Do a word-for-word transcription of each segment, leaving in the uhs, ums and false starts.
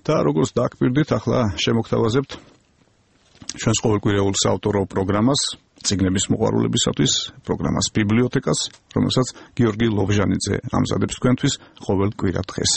და როგორც დააკვირდით, ახლა შემოგთავაზებთ ჩვენს ყოველკვირეულ საავტორო პროგრამას, წიგნების მოყვარულებისათვის, პროგრამას ბიბლიოთეკას, რომელსაც გიორგი ლობჟანიძე ამზადებს თქვენთვის ყოველ კვირა დღეს.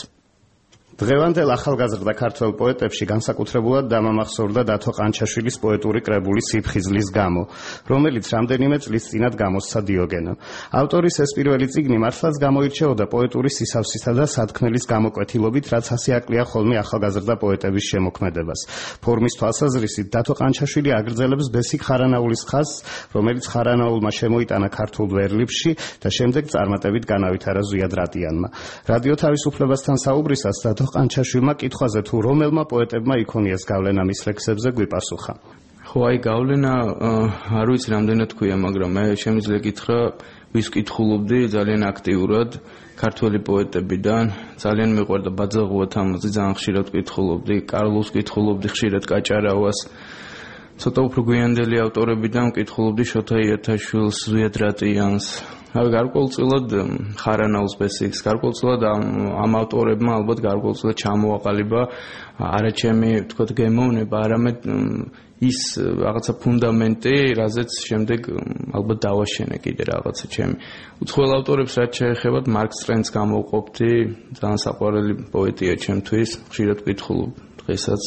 დღევანდელ ახალგაზრდა ქართველ პოეტებში განსაკუთრებულად დამამახსოვრდა დათო ყანჩაშვილის პოეტური კრებული „სიფხიზლის გამო“, რომელიც რამდენიმე წლის წინათ გამოსცა დიოგენო. ავტორის ეს პირველი წიგნი მართლაც გამოირჩეოდა პოეტური სისავსისა და სათქმელის გამოკვეთილობით, რაც ასიაკლია ხოლმე ახალგაზრდა პოეტების შემოქმედებას. ფორმის თვალსაზრისით დათო ყანჩაშვილი აგრძელებს ბესიკ ხარანაულის ხაზს, რომელიც ხარანაულმა შემოიტანა ქართულ ვერლიფში და შემდეგ წარმატებით განავითარა ზვიად რატიანმა. რადიო თავისუფლებასთან საუბრისას დათო ყანჩაშვილმა კითხვაზე თუ რომელმა პოეტებმა იქონიეს გავლენა მის ლექსებზე გვიპასუხა. ხო, აი გავლენა არ ვიცი რამდენად თქვია, მაგრამ მე შემიძლია გითხრა, ვის კითხულობდი ძალიან აქტიურად ქართველი პოეტებიდან, ძალიან მიყვარდა ბაძაღუა თამაზი, ძალიან ხშირად კითხულობდი, კარლოს კითხულობდი, ხშირად კაჭარავას. ცოტა უფრო გვიანდელი ავტორებიდან კითხულობდი შოთა იათაშვილს, ზვიად რატიანს. აი გარკვეულწილად ხარანაულს ბესიკს, გარკვეულწილად ამ ავტორებმა ალბათ გარკვეულწილად ჩამოაყალიბა არა ჩემი თქვათ გემოვნება, არამედ ის რაღაცა ფუნდამენტი, რაზეც შემდეგ ალბათ დავაშენე კიდე რაღაცა ჩემი. უცხოელ ავტორებს რაც შეეხებათ, მარკს ტრენს გამოვყოფდი, ძალიან საყვარელი პოეტია ჩემთვის, ხშირად ვკითხულობ დღესაც.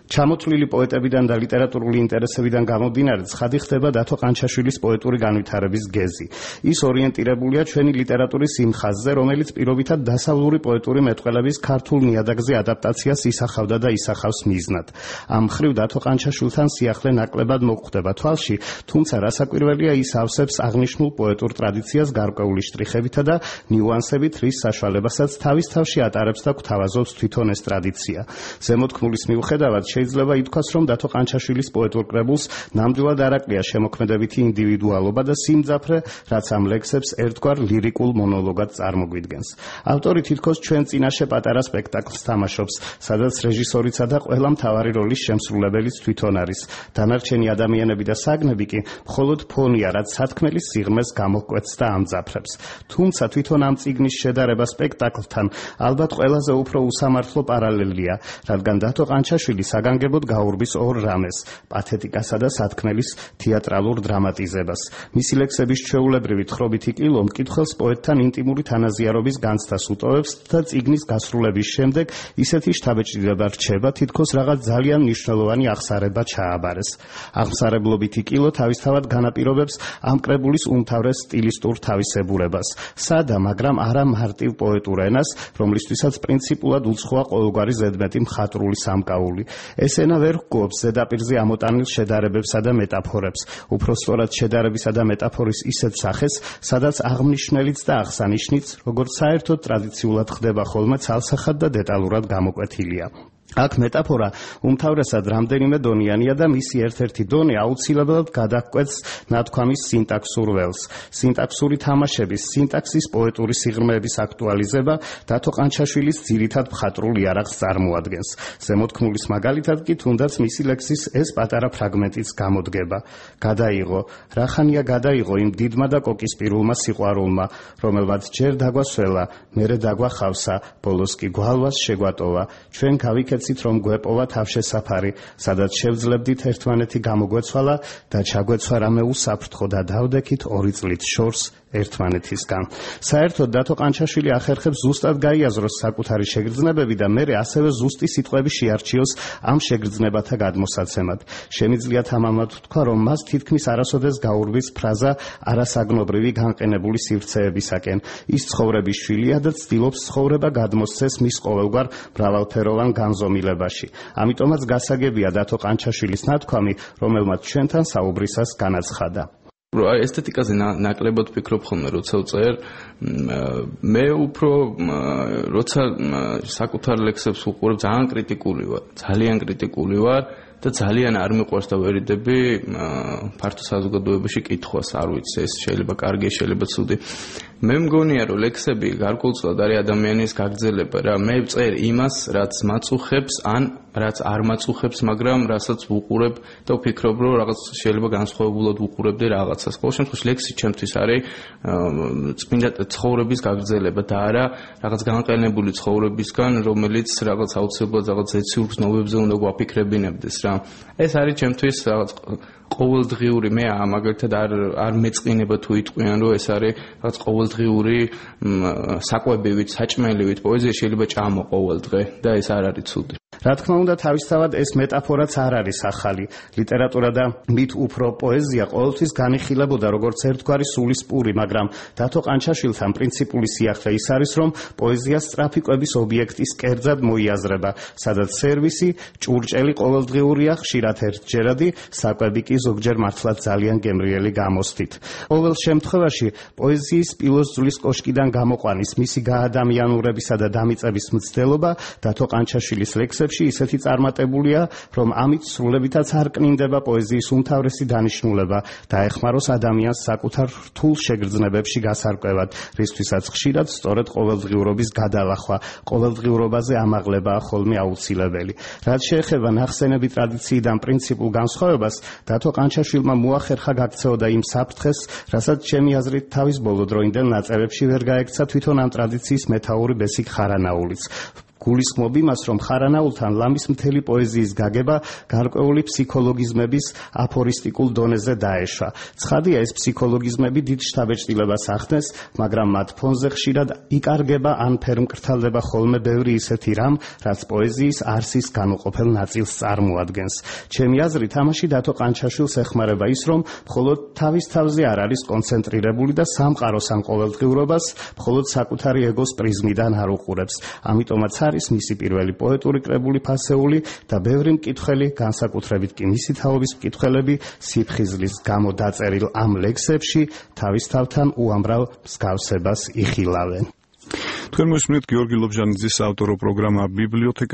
ჩამოთვლილი პოეტებიდან და ლიტერატურული ინტერესებიდან გამომდინარე, ცხადი ხდება დათო ყანჩაშვილის პოეტური განვითარების გეზი. ის ორიენტირებულია ჩვენი ლიტერატურის იმ ხაზზე, რომელიც პირობითად დასავლური პოეტური მეტყველების ქართულ ნიადაგზე ადაპტაციას ისახავდა და ისახავს მიზნად. ამ მხრივ დათო ყანჩაშვილთან სიახლე ნაკლებად მოგვხვდება თვალში, თუმცა რასაკვირველია, ის ავსებს აღნიშნულ პოეტურ ტრადიციას გარკვეული შტრიხებითა და ნიუანსებით, რის საშუალებასაც თავის თავში ატარებს და გვთავაზობს თვითონ ეს ტრადიცია. ზემოთქმულის მიუხედავად შეიძლება ითქვას, რომ დათო ყანჩაშვილის პოეტურ კრებულს ნამდვილად არ აკლია შემოქმედებითი ინდივიდუალობა და სიმძაფრე, რაც ამ ლექსებს ერთგვარ ლირიკულ მონოლოგად წარმოგვიდგენს. ავტორი თითქოს ჩვენ წინაშე პატარა სპექტაკლს თამაშობს, სადაც რეჟისორიცა და ყველა მთავარი როლის შემსრულებელიც თვითონ არის. დანარჩენი ადამიანები და საგნები კი მხოლოდ ფონია, რაც სათქმელის სიღრმეს გამოკვეთს და ამძაფრებს. თუმცა თვითონ ამ წიგნის შედარება სპექტაკლთან ალბათ ყველაზე უფრო უსამართლო პარალელია, რადგან დათო ყანჩაშვილი საგანგებოდ გაურბის ორ რამეს: პათეტიკასა და სათქმელის თეატრალურ დრამატიზებას. მისი ლექსების ჩვეულებრივი თხრობითი კილო მკითხველს პოეტთან ინტიმური თანაზიარობის განცდას უტოვებს და წიგნის გასრულების შემდეგ ისეთი შთაბეჭდილება რჩება, თითქოს რაღაც ძალიან მნიშვნელოვანი აღსარება ჩააბარეს. აღმსარებლობითი კილო თავისთავად განაპირობებს ამ კრებულის უმთავრეს სტილისტურ თავისებურებას. სადა, მაგრამ არა მარტივ პოეტურ ენას, რომლისთვისაც პრინციპულად უცხოა ყოველგვარი ზედმეტი მხატვრული სამკაული. ეს ენა ვერ ჰგობს ზედაპირზე ამოტანილ შედარებებსა და მეტაფორებს, უფრო სწორად შედარებისა და მეტაფორის ისეთ სახეს, სადაც აღმნიშვნელიც და აღსანიშნიც, როგორც საერთოდ ტრადიციულად ხდება ხოლმე, ცალსახად და დეტალურად გამოკვეთილია. აქ მეტაფორა უმთავრესად რამდენიმე დონიანია და მისი ერთ-ერთი დონე აუცილებლად გადაჰკვეთს ნათქვამის სინტაქსურ ველს. სინტაქსური თამაშების, სინტაქსის პოეტური სიღრმეების აქტუალიზება დათო ყანჩაშვილის ძირითად მხატვრულ იარაღს წარმოადგენს. ზემოთქმულის მაგალითად კი თუნდაც მისი ლექსის ეს პატარა ფრაგმენტიც გამოდგება. გადაიღო, რახანია გადაიღო იმ დიდმა და კოკისპირულმა სიყვარულმა, რომელმაც ჯერ დაგვასველა, მერე დაგვახავსა, ბოლოს კი გვალვას შეგვატოვა. ჩვენ გავიქეთ რომ გვეპოვა თავშესაფარი, სადაც შევძლებდით ერთმანეთი გამოგვეცვალა და ჩაგვეცვა რამე უსაფრთხო და დავდექით ორი წლით შორს ერთმანეთისგან. საერთოდ დათო ყანჩაშვილი ახერხებს ზუსტად გაიაზროს საკუთარი შეგრძნებები და მერე ასევე ზუსტი სიტყვები შეარჩიოს ამ შეგრძნებათა გადმოსაცემად. შემიძლიათ ამამად ვთქვა, რომ მას თითქმის არასოდეს გაურბის ფრაზა არასაგნობრივი განყენებული სივრცეებისაკენ. ის ცხოვრების შვილია და ცდილობს ცხოვრება გადმოსცეს მის ყოველგვარ მრავალფეროვან განზომილებაში. ამიტომაც გასაგებია დათო ყანჩაშვილის ნათქვამი, რომელმაც ჩვენთან საუბრისას განაცხადა. აი ესთეტიკაზე ნაკლებად ვფიქრობ ხოლმე, როცა ვწერ, მე უფრო როცა საკუთარ ლექსებს ვუყურებ, ძალიან კრიტიკული ვარ, ძალიან კრიტიკული ვარ და ძალიან არ მიყვარს და ვერიდები ფართო საზოგადოებაში კითხვას, არ ვიცი, ეს შეიძლება კარგია, შეიძლება ცუდი. მე მგონია რომ ლექსები გარკვეულწილად არის ადამიანის გაგრძელება რა მე ვწერ იმას რაც მაწუხებს ან რაც არ მაწუხებს მაგრამ რასაც ვუყურებ და ვფიქრობ რომ რაღაც შეიძლება განსხვავებულად ვუყურებდე რაღაცას ყოველ შემთხვევაში ლექსი ჩემთვის არის წმინდა ცხოვრების გაგრძელება და არა რაღაც განყენებული ცხოვრებისგან რომელიც რაღაც აუცილებლად რაღაც ეციურ გზნობებზე უნდა გვაფიქრებინებდეს რა ეს არის ჩემთვის რაღაც ყოველდღიური მე მაგალითად არ არ მეწყინება თუ იტყვიან რომ ეს არის რაღაც ყოველდღიური საკვებივით საჭმელივით პოეზია შეიძლება ჭამო ყოველ დღე და ეს არ არის ცუდი რა თქმა უნდა თავისთავად ეს მეტაფორაც არ არის ახალი ლიტერატურა და მით უფრო პოეზია ყოველთვის განიხილებოდა როგორც ერთგვარი სულისპური მაგრამ დათო ყანჩაშვილთან პრინციპული სიახლე ის არის რომ პოეზია სწრაფი კვების ობიექტის კერძად მოიაზრება სადაც სერვისი ჭურჭელი ყოველდღიურია ხშირად ერთჯერადი საკვები კი ზოგჯერ მართლაც ძალიან გემრიელი გამოსთით ყოველ შემთხვევაში პოეზიის პილოსძვლის კოშკიდან გამოყვანის მისი გაადამიანურებისა და დამიწების მცდელობა დათო ყანჩაშვილის ლექსებში ისეთი წარმატებულია, რომ ამით სრულებითაც არ კნინდება პოეზიის უმთავრესი დანიშნულება და ეხმაროს ადამიანს საკუთარ რთულ შეგრძნებებში გასარკვევად, რისთვისაც ხშირად სწორედ ყოველდღიურობის გადალახვა, ყოველდღიურობაზე ამაღლებაა ხოლმე აუცილებელი. რაც შეეხება ნახსენები ტრადიციიდან პრინციპულ განსხვავებას, დათო ყანჩაშვილმა მოახერხა გაქცეოდა იმ საფრთხეს, რასაც ჩემი აზრით თავის ბოლო დროინდელ ნაწერებში ვერ გაექცა თვითონ ამ ტრადიციის მეთაური ბესიკ ხარანაულიც. გულისხმობ იმას, რომ ხარანაულთან ლამის მთელი პოეზიის გაგება გარკვეული ფსიქოლოგიზმების აფორისტიკულ დონეზე დაეშვა. ცხადია, ეს ფსიქოლოგიზმები დიდ შთაბეჭდილებას ახდენს, მაგრამ მათ ფონზე ხშირად იკარგება ან ფერმკრთალდება ხოლმე ბევრი ისეთი რამ, რაც პოეზიის არსის განუყოფელ ნაწილს წარმოადგენს. ჩემი აზრით, ამაში დათო ყანჩაშვილს ეხმარება ის, რომ მხოლოდ თავის თავზე არ არის კონცენტრირებული და სამყაროს ან ყოველდღიურობას მხოლოდ საკუთარი ეგოს პრიზმიდან არ უყურებს. ამიტომაც არის მისი პირველი პოეტური კრებული ფასეული და ბევრი მკითხველი, განსაკუთრებით კი მისი თაობის მკითხველები სიფხიზლის გამო დაწერილ ამ ლექსებში თავისთავთან უამრავ მსგავსებას იხილავენ. თქვენ მოსმენთ გიორგი ლობჟანიძის ავტორო პროგრამა ბიბლიოთეკა